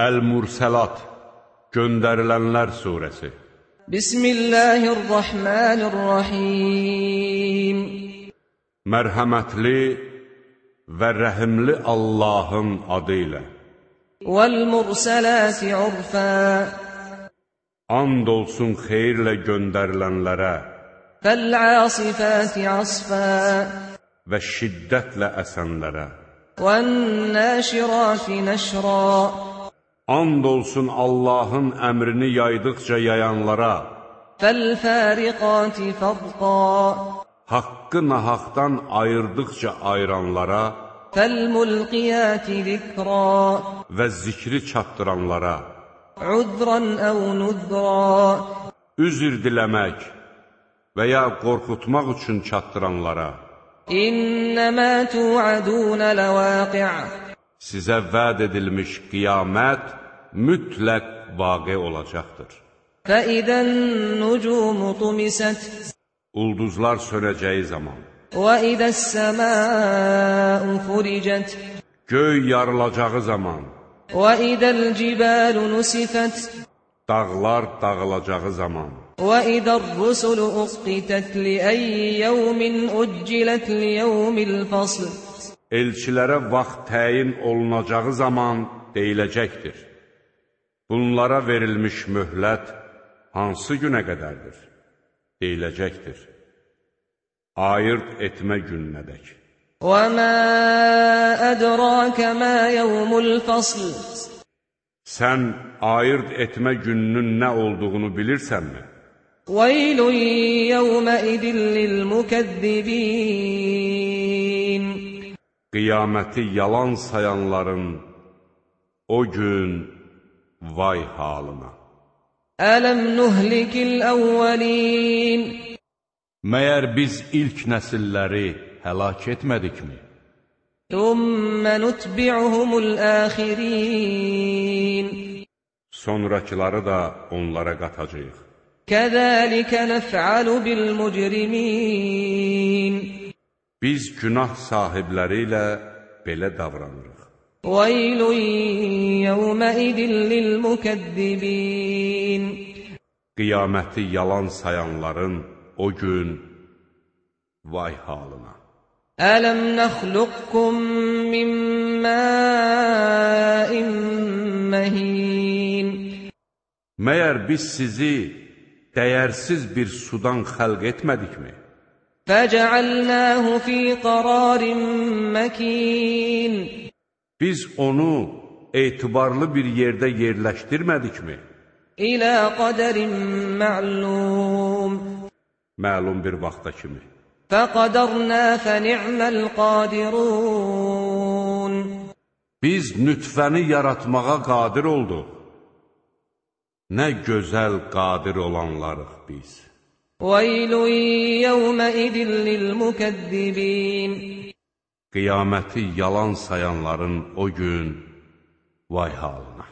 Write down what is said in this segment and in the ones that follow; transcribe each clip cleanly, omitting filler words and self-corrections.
Əl-Mursəlat, Göndərilənlər surəsi. Bismillahirrahmanirrahim. Mərhəmətli və rəhimli Allahın adı ilə. Vəl-Mursəlati urfə. And olsun xeyirlə göndərilənlərə. Fəl-Asifati asfə. Və şiddətlə əsənlərə. Vən-Nəşirati nəşrə. And olsun Allahın əmrini yaydıqca yayanlara. Fəl-Fəriqati fərqa. Haqqı nahaqdan ayırdıqca ayıranlara. Fəl-Mulqiyati zikra. Və zikri çatdıranlara. Udran əv nudra. Üzr diləmək və ya qorxutmaq üçün çatdıranlara. İnnəmə tu'adunə ləvəqi'. Sizə vəd edilmiş qiyamət mütləq vaqe olacaqdır. Fəidən nucumu tumisət. Ulduzlar sönəcəyi zaman. Və idəs-səməu furicət. Göy yarılacağı zaman. Və idəl-cibəlu nusifət. Dağlar dağılacağı zaman. Və idər-rusulu uqitət liəyyi yevmin uccilət liyevmil fasl. Elçilərə vaxt təyin olunacağı zaman deyiləcəkdir. Bunlara verilmiş möhlət hansı günə qədərdir? Deyiləcəkdir. Ayırt etmə gününədək. Və mə ədrakə mə yevmul fasl. Sən ayırt etmə gününün nə olduğunu bilirsənmi? Veylun yevməidin lilmükəzzibin. Qiyaməti yalan sayanların o gün vay halına. Ələm nuhlikil əvvəlin. Məyər biz ilk nəsilləri həlak etmədikmi? Thumma nutbi'uhumul axirin. Sonrakıları da onlara qatacağıq. Kəzəlikə nəf'alu bil mücrimin. Biz günah sahibləri ilə belə davranırıq. Veylun yevməidin lilmükəzzibin. Qiyaməti yalan sayanların o gün vay halına. Ələm nəxluqkum min məin məhin. Məyər biz sizi dəyərsiz bir sudan xəlq etmədikmi? Fəcəalnəhu fi qararin məkin. Biz onu etibarlı bir yerdə yerləşdirmədikmi? İlə qədərin mə'lum. Məlum bir vaxta kimi. Fəqədərnə fəni'məl qadirun. Biz nütfəni yaratmağa qadir olduq. Nə gözəl qadir olanlarıq biz. Veylun yevməidin lilmükəzzibin. Qiyaməti yalan sayanların o gün vay halına.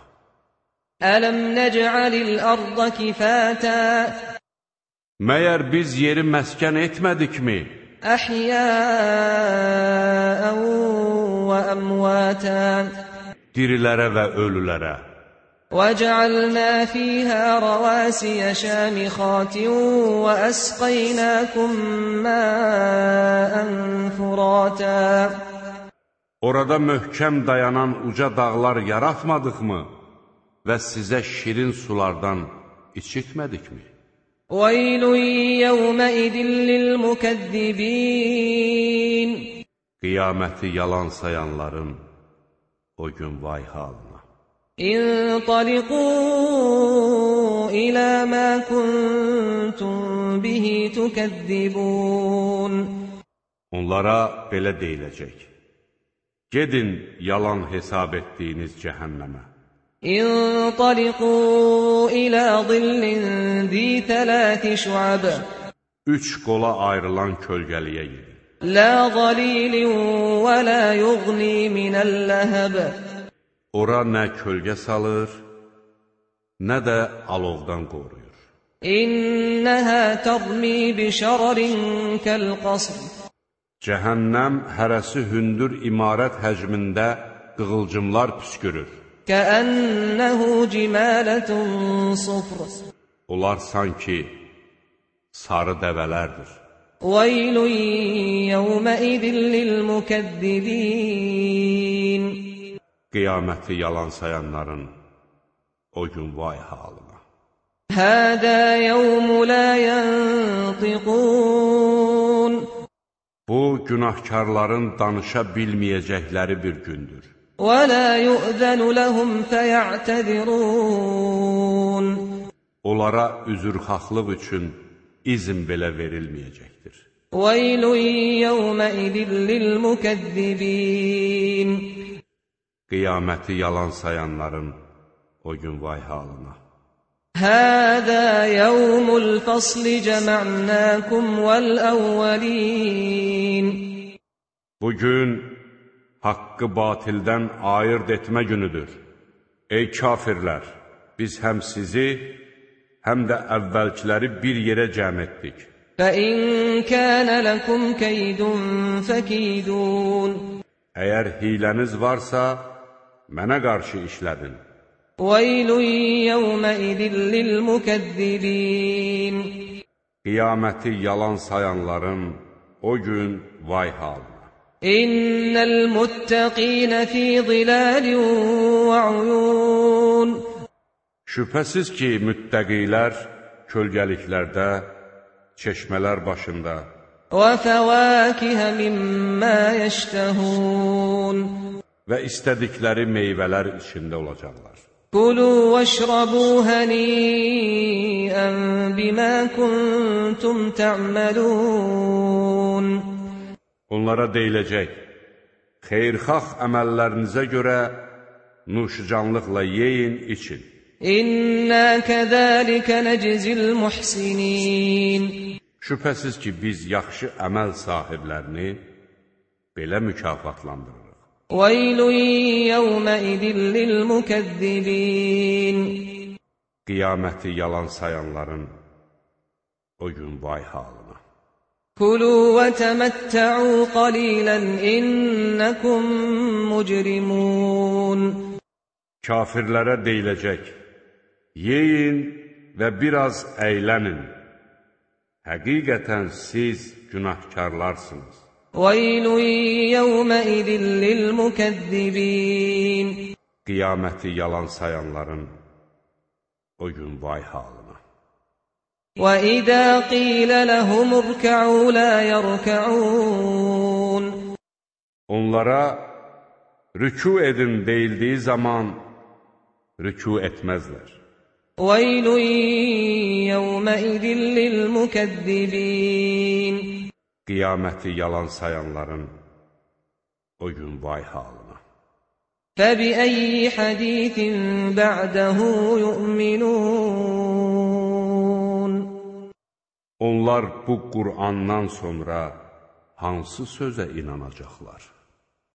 Ələm nec'alil arda kifətə. Məyər biz yeri məskən etmədikmi? Əhyəən və əmvətən. Dirilərə və ölülərə. وَجَعَلْنَا فِيهَا رَوَاسِيَ شَامِخَاتٍ وَأَسْقَيْنَاكُمْ مَاءً فُرَاتًا. Orada möhkəm dayanan uca dağlar yaratmadıqmı və sizə şirin sulardan içitmədikmi? وَيْلٌ يَوْمَئِذٍ لِلْمُكَذِّبِينَ. Qiyaməti yalan sayanların o gün vay halına. انطلقوا إلى ما كنتم به تكذبون. Onlara belə deyiləcək. Gedin yalan hesab etdiyiniz cəhənnəmə. انطلقوا إلى ظل ذي 3 شعب. 3 qola ayrılan kölgəliyə gedin. لا ظليل ولا يغني من اللهب. Ora nə kölgə salır, nə də alovdan qoruyur. İnnəhə tərmi bi şərarin kəl-qasr. Cəhənnəm hərəsi hündür imarət həcmində qığılcımlar püskürür. كأنه جمالة صفر Onlar sanki sarı dəvələrdir. ويل يومئذ للمكذبين Qiyaməti yalan sayanların o gün vay halına. هذا يوم لا ينطقون Bu günahkarların danışa bilməyəcəkləri bir gündür. ولا يؤذن لهم فيعتذرون Onlara üzrxahlıq üçün izin belə verilməyəcəkdir. ويل يومئذ للمكذبين Qiyaməti yalan sayanların o gün vay halına. هذا يوم الفصل جمعناكم والأولين Bugün haqqı batildən ayırt etmə günüdür. Ey kafirlər, biz həm sizi, həm də əvvəlkiləri bir yerə cəm etdik. فَإِنْ كَانَ لَكُمْ كَيْدٌ فَكِيدُونَ Əgər hiləniz varsa, mənə qarşı işlədin. وَيْلٌ يَوْمَئِذٍ لِلْمُكَذِّبِينَ Qiyaməti yalan sayanların o gün vay halına. إِنَّ الْمُتَّقِينَ فِي ظِلَالٍ وَعُيُونٍ Şübhəsiz ki, müttəqilər kölgəliklərdə, çeşmələr başında وَفَوَاكِهَ مِمَّا يَشْتَهُونَ və istədikləri meyvələr içində olacaqlar. كُلُوا وَاشْرَبُوا هَنِيئًا بِمَا كُنتُمْ تَعْمَلُونَ Onlara deyiləcək, xeyirxah əməllərinizə görə nuşcanlıqla yeyin, için. İnna kəzəlikə nəczil muhsinin Şübhəsiz ki, biz yaxşı əməl sahiblərini belə mükafatlandırırıq. Veylun yevməidin lilmukəzzibin Qiyaməti yalan sayanların o gün vay halına. Kulu və təməttə'u qalilən innəkum mucrimun Kafirlərə deyiləcək, yeyin və biraz əylənin. Həqiqətən siz günahkarlarsınız. Veylun yevməidin lilmukəzzibin Qiyaməti yalan sayanların o gün vay halına. وَإِذَا قِيلَ لَهُمُ ارْكَعُوا لَا يَرْكَعُونَ Onlara rükû edin deyildiyi zaman rükû etməzlər. وَيْلٌ يَوْمَئِذٍ لِلْمُكَذِّبِينَ Qiyaməti yalan sayanların o gün vay halına. فَبِأَيِّ حَدِيثٍ بَعْدَهُ يُؤْمِنُونَ Onlar bu Qur'andan sonra hansı sözə inanacaqlar?